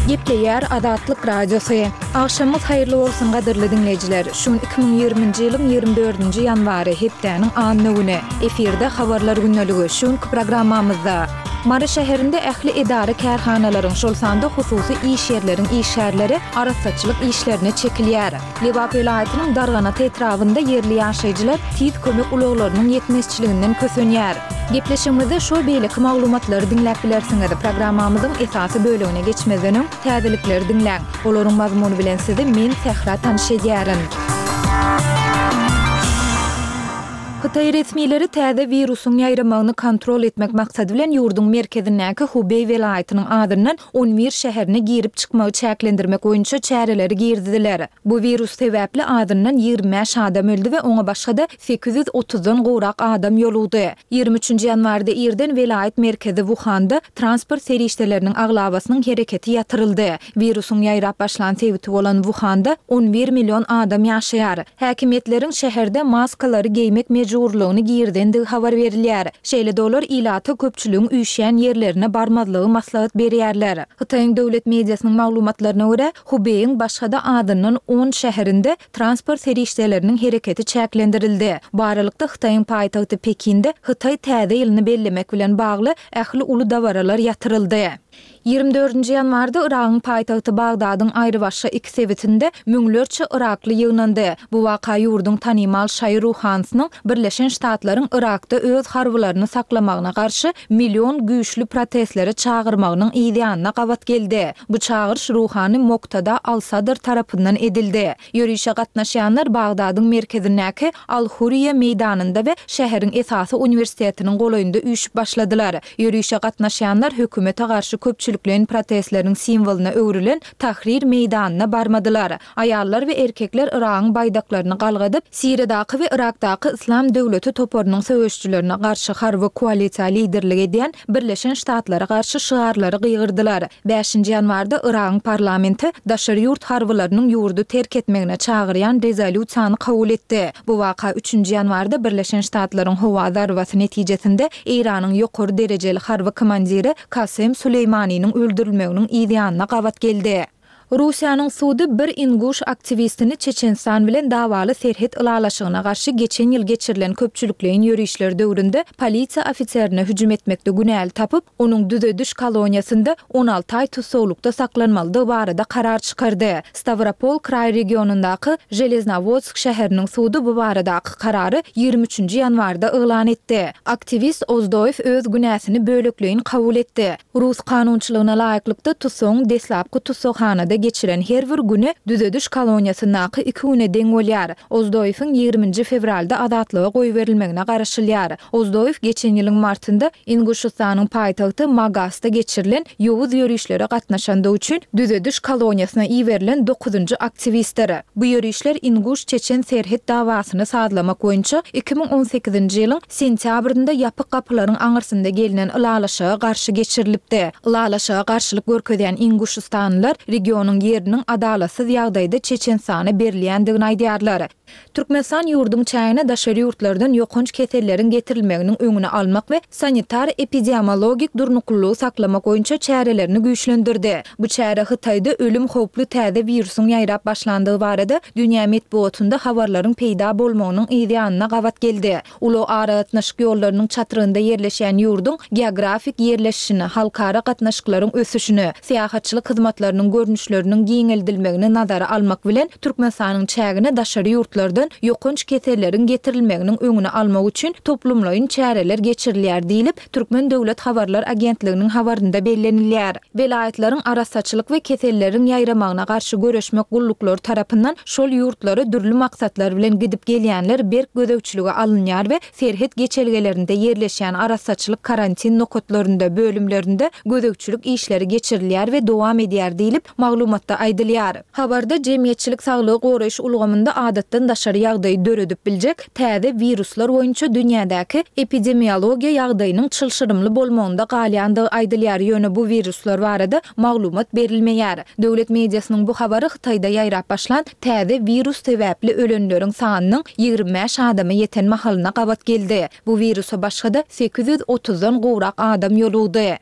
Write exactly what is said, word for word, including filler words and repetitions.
Gepleýär Azatlyk Radiosy. Agşamyňyz haýyrly bolsun gadyrly diňleýjiler. Şu gün iki müň ýigriminji ýylyň ýigrimi dördünji ýanwary, hepdäniň anna güni. Efirde Habarlar gündeligi. Şu günki programmamyzda Mary şäherinde ähli edara-kärhanalaryň, şol sanda hususy iş ýerleriň işgärleri arassaçylyk işlerine çekilýär. Lebap welaýatynyň Darganata etrabynda ýerli ýaşaýjylar tiz kömek ulaglarynyň ýetmezçiliginden kösenýär. Gepleşigimizde şo beýleki maglumatlary diňläp bilersiňiz. Programmamyzyň esasy bölegine geçmezden öň, täzelikleri diňläň. Olaryň mazmuny bilen sizi men, Sähra tanyş edýärin. Hytaý resmileri täze wirusyň ýaýramagyny kontrol etmek maksady bilen ýurduň merkezindäki Hubeý welaýatynyň azyndan on bir şäherine girip-çykmagy çäklendirmek boýunça çäreleri girizdiler. Bu wirus sebäpli azyndan ýigrimi bäş adam öldi we oňa başga-da sekiz ýüz otuzdan gowrak adam ýolugdy. Ýigrimi üçünji ýanwarda irden welaýat merkezi Wuhanda transport serişdeleriniň aglabasynyň hereketi ýatyryldy. Wirusyň ýaýrap başlan sebiti bolan Wuhanda on bir million adam ýaşaýar. Häkimiýetleriň şäherde maskalary geýmek mejburlygyny girizendigi habar berilýär. Şeýle-de olar ilata köpçüligiň üýşýän ýerlerine barmazlygy maslahat berýärler. Hytaýyň döwlet mediasynyň maglumatlaryna görä, Hubeýiň başga-da azyndan on şäherinde transport serişdeleriniň hereketi çäklendirildi. Bu aralykda, Hytaýyň paýtagty Pekinde Hytaý Täze ýylyny bellemek bilen bagly ähli uly dabaralar ýatyryldy. Ýigrimi dördünji ýanwarda Yragyň paýtagty Bagdadyň aýrybaşga iki sebitinde müňlerçe yrakly ýygnandy. Bu waka ýurduň tanymal şaýy ruhanysynyň Birleşen Ştatlaryň Yrakda öz harbylaryny saklamagyna garşy million güýçli protestlere çagyrmagynyň yzýanyna gabat geldi. Bu çagyryş ruhany Moktada al-Sadr tarapyndan edildi. Ýörişe gatnaşýanlar Bagdadyň merkezindäki Al-Huriýe meýdanynda we şäheriň esasy uniwersitetiniň golaýynda üýşüp başladylar. Ýörişe gatnaşýanlar hökümete garşy köpçülikleýin protestleriň simwolyna öwrülen Tahrir meýdanyna barmadylar. Aýallar we erkekler Yragyň baýdaklaryny galgadyp, Siriýadaky we Yrakdaky Yslam döwleti toparynyň söweşijilerine garşy harby koalisiýa liderlik edýän Birleşen Ştatlara garşy şygarlary gygyrdylar. Bäşinji ýanwarda Yragyň parlamenti daşary ýurt harbylarynyň ýurdy terk etmegine çagyrýan rezolýusiýany kabul etdi. Bu waka üçünji ýanwarda Birleşen Ştatlaryň howa zarbasy netijesinde Eýranyň ýokary derejeli harby komandiri Kasem Suleýmaniniň öldürilmeginiň yz ýanyna gabat geldi. Russiýanyň sudy bir inguş aktiwistini Çeçenistan bilen dawaly serhet ylalaşygyna garşy geçen ýyl geçirilen köpçülikleýin ýörişler döwründe polisiýa ofiserine hüjüm etmekde günäli tapyp, onuň düzediş koloniýasynda on alty aý tussaglykda saklanmalydygy barada karar çykardy. Stawropol kraý regionyndaky Železnowodsk şäheriniň sudy bu baradaky karary ýigrimi üçünji ýanwarda yglan etdi. Aktiwist Ozdoýew öz günäsini bölekleýin kabul etdi. Rus kanunçylygyna laýyklykda, tussagyň deslapky tussaghanada geçiren her bir güni düzediş koloniýasyndaky iki güne deň bolýar. Ozdoýewiň ýigriminji fewralda azatlyga goýberilmegine garaşylýar. Ozdoýew geçen ýylyň martynda Inguşystanyň paýtagty Magasda geçirilen ýowuz ýörişlere gatnaşandygy üçin düzediş koloniýasyna iberilen dokuzynjy aktiwistdir. Bu ýörişler inguş-çeçen serhet dawasyny sazlamak boýunça iki müň on sekizinji ýylyň sentýabrynda ýapyk gapylaryň aňyrsynda gelnen ylalaşyga garşy geçirilipdi. Ylalaşyga garşylyk görkezýän inguşystanlylar regionyň ýeriniň adalatsyz ýagdaýda Çeçenistana berilýändigini aýdýarlar. Türkmenistan ýurduň çägine daşary ýurtlardan ýokanç keselleriň getirilmeginiň öňüni almak we sanitar-epidemiologik durnuklylygy saklamak boýunça çärelerini güýçlendirdi. Bu çäre Hytaýda ölüm howply täze wirusyň ýaýrap başlandygy barada dünýä metbugatynda habarlaryň peýda bolmagynyň yz ýanyna gabat geldi. Ulag-aragatnaşyk ýollarynyň çatrygynda ýerleşýän ýurduň geografik ýerleşişini, halkara gatnaşyklaryň ösüşini, syýahatçylyk hyzmatlarynyň görnüşleriniň giňeldilmegini nazara almak bilen, Türkmenistanyň çägine daşary ýurtlardan ýokanç keselleriň getirilmeginiň öňüni almak üçin toplumlaýyn çäreler geçirilýär diýlip, Türkmen döwlet habarlar agentliginiň habarynda bellenilýär. Welaýatlaryň arassaçylyk we keselleriň ýaýramagyna garşy göreşmek gulluklary tarapyndan şol ýurtlara dürli maksatlar bilen gidip gelýänler berk gözegçilige alynýar we serhet geçelgelerinde ýerleşýän arassaçylyk karantin nokatlarynda, bölümlerinde gözegçilik işleri geçirilýär we dowam edýär diýlip, maglumatda aýdylýar. Habarda jemgyýetçilik saglygy goraýyş ulgamynda adatdan daşary ýagdaýy döredip biljek täze wiruslar boýunça dünýädäki epidemiologiýa ýagdaýynyň çylşyrymly bolmagynda galýandygy aýdylýar, ýöne bu wiruslar barada maglumat berilmeýär. Döwlet mediasynyň bu habary Hytaýda ýaýrap başlan täze wirus sebäpli ölenleriň sanynyň ýigrimi bäş adama ýeten mahalyna gabat geldi. Bu wirusa başga-da sekiz ýüz otuzdan gowrak adam ýolugdy.